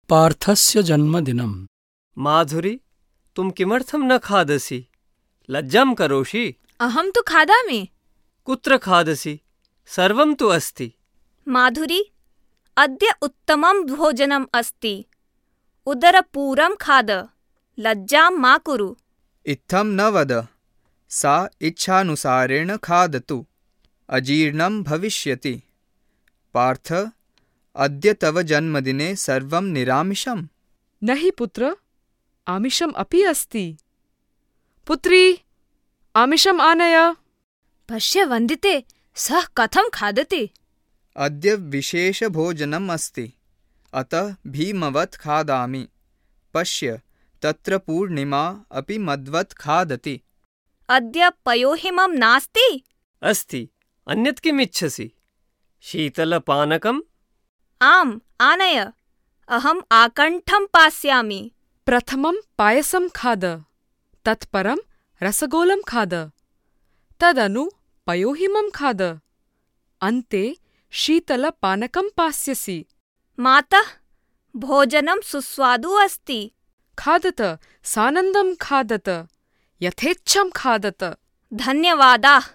पार्थस्य जन्मदिनम्। माधुरी, तुम किमर्थं न खादसि? लज्जां करोषि? अहं तु खादामि। कुत्र खादसि? सर्वं तु अस्ति। माधुरी, अद्य उत्तमं भोजनम् अस्ति। उदरपूरं खाद। लज्जां मा कुरु। इत्थं न वद। सा इच्छानुसारेण खादतु। अजीर्णं भविष्यति। पार्थ, अद्य तव जन्मदिने सर्वं निरामिषम्? न हि पुत्र, आमिषम् अपि अस्ति। पुत्री, आमिषम् आनय। पश्य वन्दिते, सः कथं खादति। अद्य विशेषभोजनम् अस्ति, अतः भीमवत् खादामि। पश्य, तत्र पूर्णिमा अपि मद्वत् खादति। अद्य पयोहिमं नास्ति? अस्ति। अन्यत् किम् इच्छसि? शीतलपानकम्? आम्, आनय। अहम् आकण्ठं पास्यामि। प्रथमं पायसं खाद, तत्परं रसगोलं खाद, तदनु पयोहिमं खाद, अन्ते शीतलपानकं पास्यसि। मातः, भोजनं सुस्वादु अस्ति। खादत, सानन्दं खादत, यथेच्छं खादत। धन्यवादाः।